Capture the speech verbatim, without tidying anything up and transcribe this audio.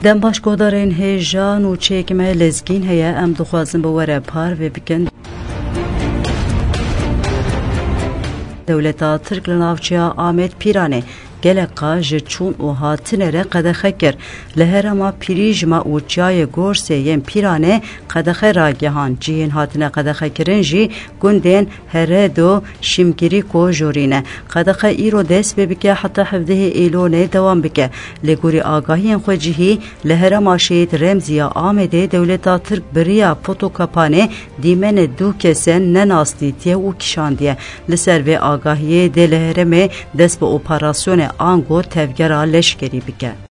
Dem baş, guhdarên hêja, nûçeyek me lezgîn heye, em dixwazin bi we re parve bikin. Dewleta Tirk li navçeya Amed Pîranê gelek qas ji çûn û hatine re qedexe kir. Li herêma Pîrîjma û çiyayê Gorsê yên Pîranê qedexe ragihand. Cihên hatine qedexekirin jî gundên Heredo, Şimgirîko jorî ne. Qedexe îro dest pê bike heta hevdehê Îlonê dewam bike. Lê gorî agahiyên xwe cihî, li herêma Şehîd Remzî ya Amedê dewleta Tirk bi riya Potokapanê dîmenê du kesen nenasnîtiye û kişandiye. Li ser vê agahiyê dê li herêmê dest bi operasyonê ango tevgera leşkerî bike.